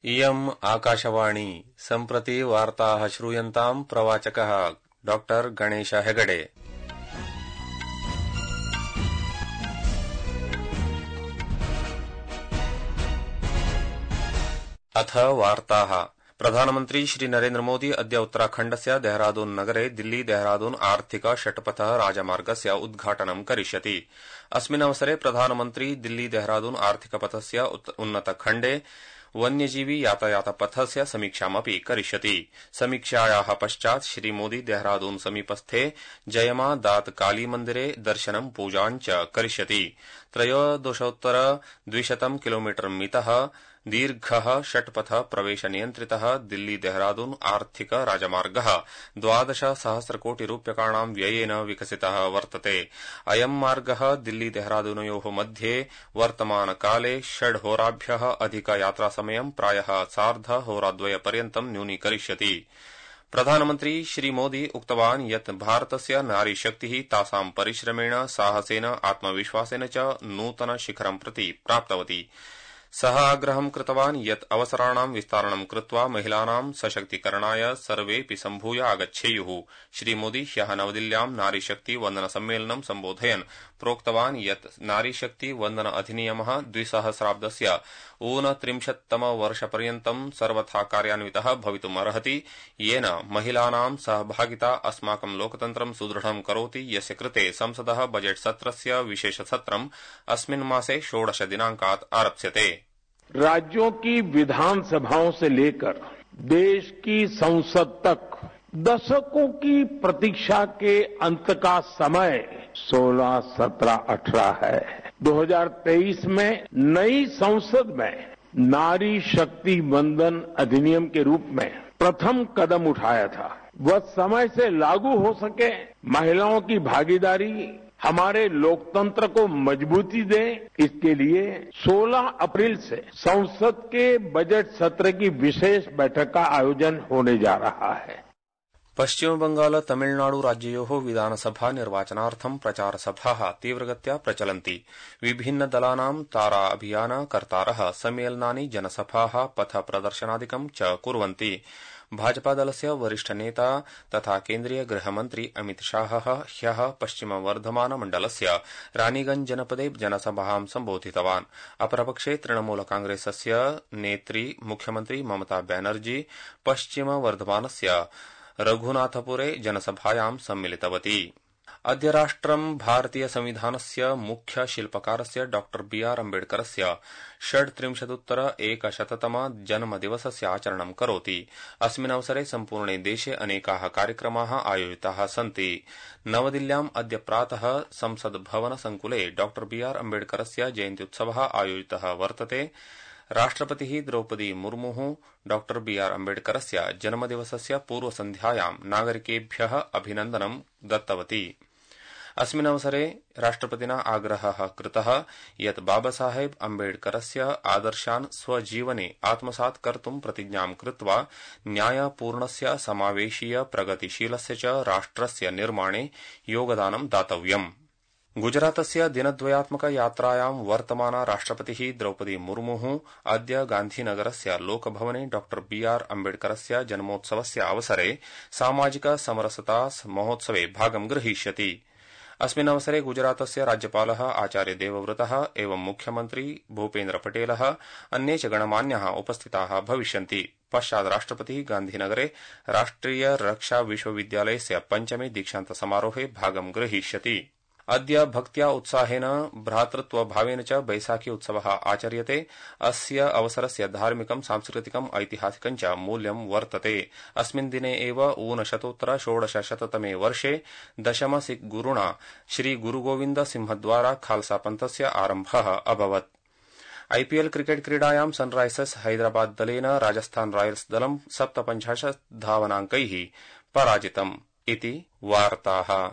इयम् आकाशवाणी सम्प्रति वार्ताः श्रूयन्ताम् प्रवाचकः डॉक्टर गणेश हेगडे। अथ वार्ताः। प्रधानमन्त्री श्री नरेन्द्र मोदी अद्य उत्तराखण्डस्य देहरादून नगरे दिल्ली देहरादून आर्थिक षट्पथ राजमार्गस्य उद्घाटनं करिष्यति। अस्मिन् अवसरे प्रधानमन्त्री दिल्ली देहरादून आर्थिकपथस्य उन्नतखण्डे वन्यजीवी यातायात पथस्य समीक्षामपि करिष्यति। समीक्षायाः पश्चात् श्री मोदी देहरादून समीपस्थे जयमा दात काली मन्दिरे दर्शनं पूजां च करिष्यति। 13,200 किलोमीटर मितः दीर्घः षट्पथ प्रवेश नियन्त्रितः दिल्ली देहरादून आर्थिक राजमार्गः 12,000 कोटिरूप्यकाणां व्ययेन विकसितः वर्तते। अयं मार्गः दिल्ली देहरादूनयोः मध्ये वर्तमानकाले 6 होराभ्यः अधिक यात्रासमयं प्रायः सार्धहोराद्वयपर्यन्तं न्यूनीकरिष्यति। प्रधानमन्त्री श्री मोदी उक्तवान् यत् भारतस्य नारीशक्तिः तासां परिश्रमेण साहसेन आत्मविश्वासेन च नूतन शिखरं प्रति प्राप्तवती। सः आग्रहं कृतवान् यत् अवसराणां विस्तारणं कृत्वा महिलानां सशक्तीकरणाय सर्वेऽपि सम्भूय आगच्छेयुः। श्रीमोदी ह्यः नवदिल्ल्यां नारीशक्ति वन्दन सम्मेलनं सम्बोधयन् प्रोक्तवान् यत् नारीशक्ति वन्दन अधिनियमः 2000 ऊनत्रिंशत्तमवर्षपर्यन्तं सर्वथा कार्यान्वितः भवितुमर्हति, येन महिलानां सहभागिता अस्माकं लोकतन्त्रं सुदृढं करोति, यस्य कृते संसदः बजेट सत्रस्य विशेषसत्रम् अस्मिन् मासे 16 दिनांकात् आरप्स्यते। राज्यों की विधानसभाओं से लेकर देश की संसद तक दशकों की प्रतीक्षा के अंत का समय 16, 17, 18 है। 2023 में नई संसद में नारी शक्ति वंदन अधिनियम के रूप में प्रथम कदम उठाया था। वह समय से लागू हो सके, महिलाओं की भागीदारी हमारे लोकतंत्र को मजबूती दे, इसके लिए 16 अप्रैल से संसद के बजट सत्र की विशेष बैठक का आयोजन होने जा रहा है। पश्चिम बंगाल तमिलनाडु राज्ययोः विधानसभा निर्वाचनार्थं प्रचारसभाः तीव्रगत्या प्रचलन्ति। विभिन्न दलानां तारा अभियान कर्तारः सम्मेलनानि जनसभाः पथ प्रदर्शनादिकं च कुर्वन्ति। भाजपा दलस्य वरिष्ठ नेता तथा केन्द्रीय गृहमन्त्री अमित शाहः ह्यः पश्चिम वर्धमान मण्डलस्य रानीगंज जनपदे जनसभां सम्बोधितवान्। अपरपक्षे तृणमूल कांग्रेसस्य नेत्री मुख्यमन्त्री ममता बनर्जी पश्चिम वर्धमानस्य रघुनाथपुरे जनसभायां सम्मिलितवती। अद्य राष्ट्रं भारतीय संविधानस्य मुख्य शिल्पकारस्य डॉ बी.आर. अम्बेडकरस्य 36-100तम जन्मदिवसस्य आचरणं करोति। अस्मिन् अवसरे सम्पूर्णे देशे अनेकाः कार्यक्रमाः आयोजिताः सन्ति। नवदिल्ल्याम् अद्य प्रातः संसद् भवन संकुले डॉ बी.आर. अम्बेडकरस्य जयन्त्युत्सवः आयोजितः वर्तते। राष्ट्रपतिः द्रौपदी मुर्मुः डॉ बी.आर. अम्बेडकरस्य जन्मदिवसस्य पूर्वसन्ध्यायां नागरिकेभ्यः अभिनन्दनं दत्तवती। अस्मिन् अवसरे राष्ट्रपतिना आग्रहः कृतः यत् बाबासाहेब अम्बेडकरस्य आदर्शान् स्वजीवने आत्मसात् कर्तुं प्रतिज्ञां कृत्वा न्यायपूर्णस्य समावेशीय प्रगतिशीलस्य च राष्ट्रस्य निर्माणे योगदानं दातव्यम्। गुजरातस्य दिनद्वयात्मक यात्रायां वर्तमाना राष्ट्रपतिः द्रौपदी मुर्मुः अद्य गान्धीनगरस्य लोकभवने डॉ बी.आर. अम्बेडकरस्य जन्मोत्सवस्य अवसरे सामाजिक समरसता महोत्सवे भागं ग्रहीष्यति। अस्मिन् अवसरे गुजरातस्य राज्यपालः आचार्य देवव्रतः एवं मुख्यमन्त्री भूपेन्द्र पटेलः अन्ये च गणमान्याः उपस्थिताः भविष्यन्ति। पश्चात् राष्ट्रपतिः गान्धीनगरे राष्ट्रिय रक्षा विश्वविद्यालयस्य 5मे दीक्षान्त समारोहे भागं ग्रहीष्यति। अद्य भक्त्या उत्साहेन भ्रातृत्वभावेन च बैसाखी उत्सवः आचर्यते। अस्य अवसरस्य धार्मिकं सांस्कृतिकम् ऐतिहासिकं च मूल्यं वर्तते। अस्मिन् दिने एव ऊनशतोत्तर 1600तमे वर्षे दशम सिख गुरुणा श्री गुरुगोविन्द सिंहद्वारा खालसा पन्थस्य आरम्भः अभवत्। आईपीएल क्रिकेट क्रीडायां सनराइजर्स हैदराबाद दलेन राजस्थान रॉयल्स दलं 57 धावनाङ्कैः पराजितम् इति वार्ताः।